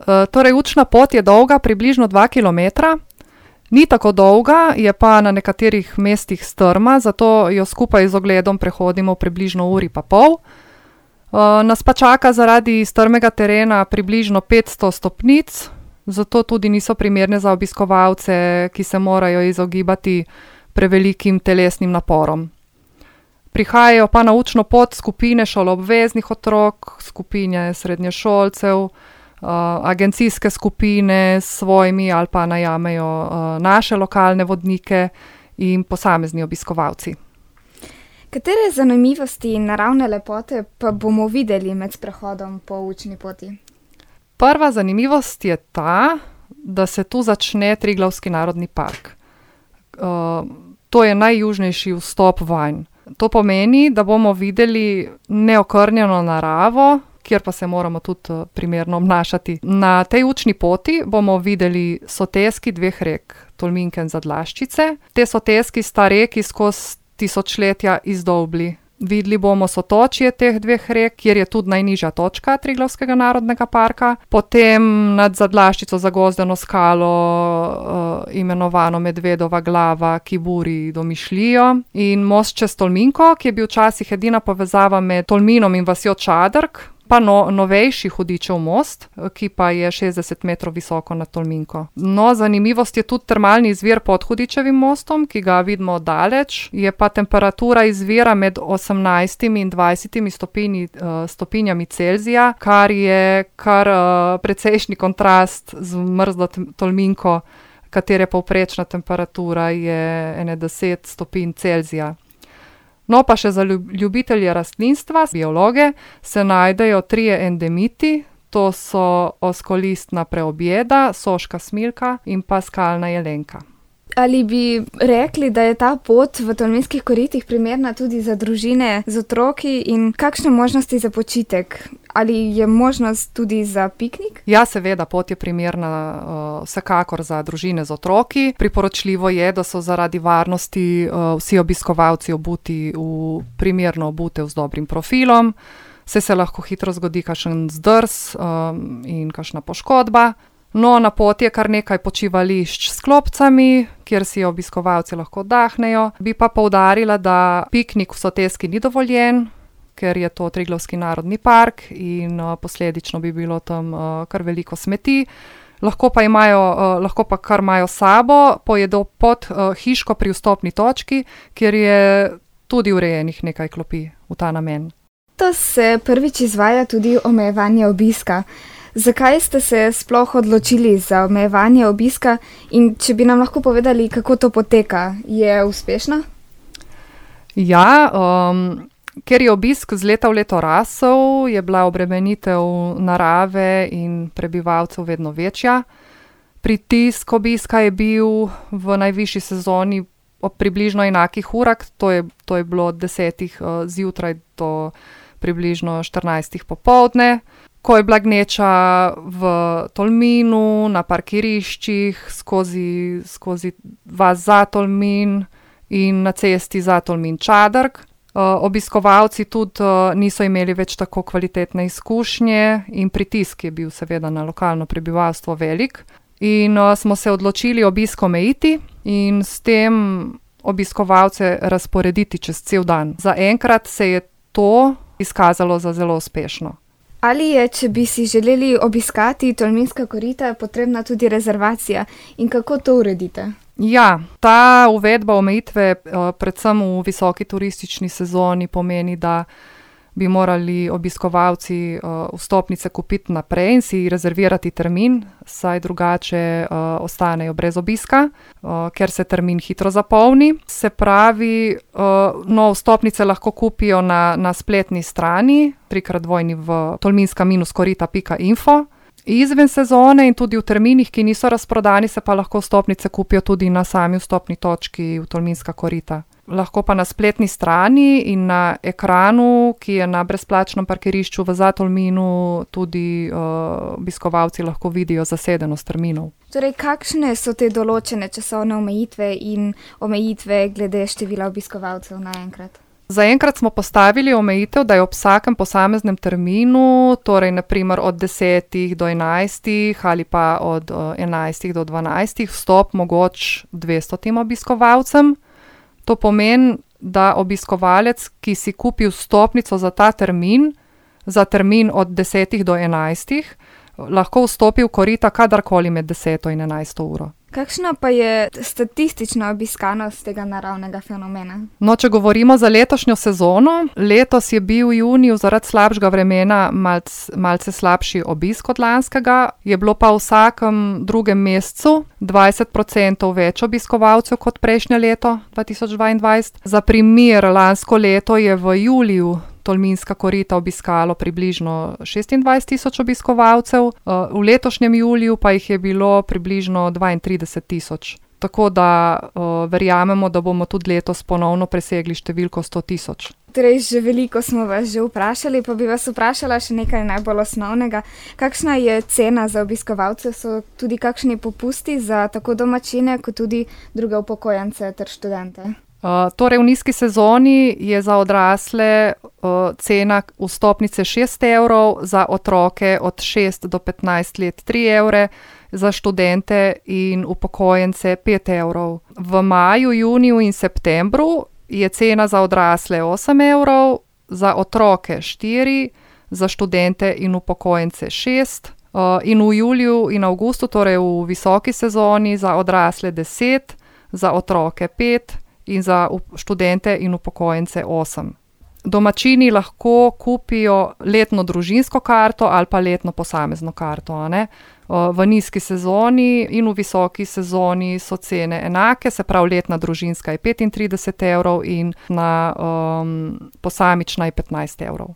Torej, učna pot je dolga približno 2 kilometra. Ni tako dolga, je pa na nekaterih mestih strma, zato jo skupaj z ogledom prehodimo približno uri pa pol. Nas pa čaka zaradi strmega terena približno 500 stopnic, zato tudi niso primerne za obiskovalce, ki se morajo izogibati prevelikim telesnim naporom. Prihajajo pa na učno pot skupine šoloobveznih otrok, skupine srednješolcev, agencijske skupine s svojimi ali pa najamejo naše lokalne vodnike in posamezni obiskovalci. Katere zanimivosti in naravne lepote pa bomo videli med sprehodom po učni poti? Prva zanimivost je ta, da se tu začne Triglavski narodni park. To je najjužnejši vstop vanj. To pomeni, da bomo videli neokrnjeno naravo, kjer pa se moramo tudi primerno obnašati. Na tej učni poti bomo videli soteski 2 rek, Tolminke in Zadlaščice. Te soteski sta reki skozi tisočletja izdolbli. Videli bomo sotočje teh 2 rek, kjer je tudi najnižja točka Triglavskega narodnega parka. Potem nad Zadlaščico zagozdeno skalo, imenovano Medvedova glava, ki buri domišljijo. In most čez Tolminko, ki je bil včasih edina povezava med Tolminom in vasjo Čadrk. Pa novejši hudičev most, ki pa je 60 metrov visoko nad Tolminko. No, zanimivost je tudi termalni izvir pod Hudičevim mostom, ki ga vidimo daleč. Je pa temperatura izvira med 18 in 20 stopinjami Celzija, kar je precejšnji kontrast z mrzlo Tolminko, katere povprečna temperatura je 10 stopinj Celzija. No, pa še za ljubitelje rastlinstva, biologe, se najdejo 3 endemiti, to so oskolistna preobjeda, soška smilka in pa skalna jelenka. Ali bi rekli, da je ta pot v Tolminskih koritih primerna tudi za družine z otroki in kakšne možnosti za počitek? Ali je možnost tudi za piknik? Ja, seveda, pot je primerna vsekakor za družine z otroki. Priporočljivo je, da so zaradi varnosti vsi obiskovalci obuti v primerno obutev z dobrim profilom. Se lahko hitro zgodi kakšen zdrs in kakšna poškodba. No, na poti je kar nekaj počivališč s klopcami, kjer si obiskovalci lahko oddahnejo. Bi pa poudarila, da piknik v soteski ni dovoljen, ker je to Triglavski narodni park in posledično bi bilo tam kar veliko smeti. Lahko pa kar imajo s sabo, pojedo pod hiško pri vstopni točki, kjer je tudi urejenih nekaj klopi v ta namen. To se prvič izvaja tudi omejevanje obiska. Zakaj ste se sploh odločili za omejevanje obiska in če bi nam lahko povedali, kako to poteka? Je uspešno? Ja, ker je obisk z leta v leto rasel, je bila obremenitev narave in prebivalcev vedno večja. Pritisk obiska je bil v najvišji sezoni ob približno enakih urah, to je bilo od 10 zjutraj do približno 14 popoldne. Ko je bila gneča v Tolminu, na parkiriščih, skozi vas za Tolmin in na cesti za Tolmin Čadrk. Obiskovalci tudi niso imeli več tako kvalitetne izkušnje in pritisk je bil seveda na lokalno prebivalstvo velik. In smo se odločili obisk omejiti in s tem obiskovalce razporediti čez cel dan. Zaenkrat se je to izkazalo za zelo uspešno. Ali je, če bi si želeli obiskati Tolminska korita, potrebna tudi rezervacija in kako to uredite? Ja, ta uvedba omejitve predvsem v visoki turistični sezoni pomeni, da bi morali obiskovalci vstopnice kupiti naprej in si rezervirati termin, saj drugače ostanejo brez obiska, ker se termin hitro zapolni. Se pravi, vstopnice lahko kupijo na spletni strani www.tolminska-korita.info. Izven sezone in tudi v terminih, ki niso razprodani, se pa lahko vstopnice kupijo tudi na sami vstopni točki v Tolminska korita. Lahko pa na spletni strani in na ekranu, ki je na brezplačnem parkirišču v Zatolminu, tudi obiskovalci lahko vidijo zasedenost terminov. Torej, kakšne so te določene časovne omejitve in omejitve glede števila obiskovalcev naenkrat? Zaenkrat smo postavili omejitev, da je ob vsakem posameznem terminu, torej naprimer od 10 do 11 ali pa od 11 do 12, vstop mogoč 200 obiskovalcem. To pomeni, da obiskovalec, ki si kupi vstopnico za ta termin, za termin od 10 do 11, lahko vstopi v Korita kadarkoli med 10 in 11 uro. Kakšna pa je statistična obiskanost tega naravnega fenomena? No, če govorimo za letošnjo sezono, letos je bil v juniju zaradi slabšega vremena malce slabši obisk od lanskega, je bilo pa v vsakem drugem mesecu 20% več obiskovalcev kot prejšnje leto 2022. Za primer, lansko leto je v juliju Tolminska korita obiskalo približno 26 000 obiskovalcev, v letošnjem juliju pa jih je bilo približno 32 000. Tako da verjamemo, da bomo tudi letos ponovno presegli številko 100 000. Torej, že veliko smo vas že vprašali, pa bi vas vprašala še nekaj najbolj osnovnega. Kakšna je cena za obiskovalce? So tudi kakšni popusti za tako domačine, kot tudi druge upokojence ter študente? Torej, v nizki sezoni je za odrasle cena vstopnice 6 evrov, za otroke od 6 do 15 let 3 evre, za študente in upokojence 5 evrov. V maju, juniju in septembru je cena za odrasle 8 evrov, za otroke 4, za študente in upokojence 6, in v juliju in avgustu, torej v visoki sezoni, za odrasle 10, za otroke 5 in za študente in upokojence 8. Domačini lahko kupijo letno družinsko karto ali pa letno posamezno karto, a ne. V nizki sezoni in v visoki sezoni so cene enake, se pravi letna družinska je 35 evrov in na posamična je 15 evrov.